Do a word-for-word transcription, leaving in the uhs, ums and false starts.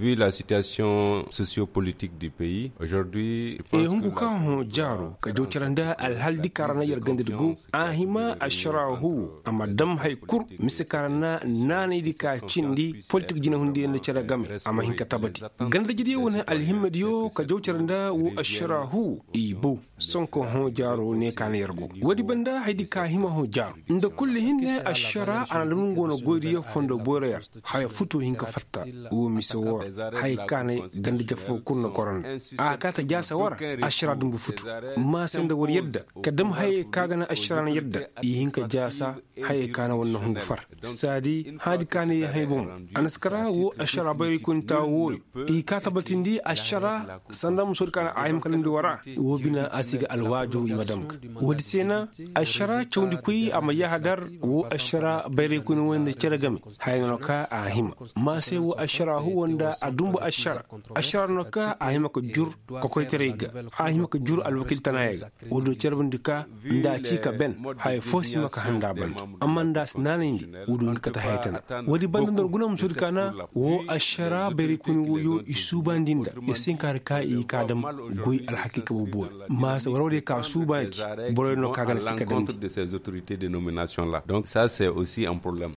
Vu la situation sociopolitique du pays aujourd'hui. Hungu ka hõ jaaro ka jaw care nda alhal di ka ra na yer ganda di go. A hima ašara huwo a ma dam hay kul mise ka ra na naanay di ka cindi politik jinahundiyaŋ nda care game. A ma hin ka tabati ganda jidi wane alhimma diyo ka jaw care nda wo ašara huwo i bow. Sonko hõ jaaro ne ka na yer go. Woodi banda hay di ka hima hõ jaaro nda kulli hinne ašara a na dam nga wane goydiyo fondo boyra yer. Haya futo hin ka fatta wo mise woo ra. Hayey ka na ganda jafoo kul na goro nda a ka ta jaasa woo ra. Ašara dumbu futu. Maase nda war yadda ka dam hayey ka ga na ašara na yadda i hin ka jaasa. Hayey ka na war na hungu far saadi hadi ka na yee hay bomo. A na si kara woo ašara bayraykoyni taawo wooyo i ka tabatindi ašara sanda musoodi ka na a hima ka damndi war ra. Woo bina a si ga alwaajuru i ma dam ga. Woodi se na ašara cawndikoy a ma yahadar woo ašara bayraykoyni wooyo nda cere game. Haya no ka a hima. Maa se woo ašara huwo nda a dumbu ašara ašara no ka a hima ka jur kokoytaray ga. A hima ka jur alwakiil tanaayey ga. Woodiyo carbandi ka nda a ci ka ben haya foo si hima ka handa banda. Amma nda a si naanayndi woodiyo nga kate haya tana. Woodi banda nda war guna musoodi ka na woo ašara bayraykoyni wooyo i suubandi nda yer si hin ka har ka i ka dam goy alhakiika boobo. Maa se war woodiyo ka suuba gi. Boroyo no ka ga na si ka damndi. Donc ça c'est aussi un problème.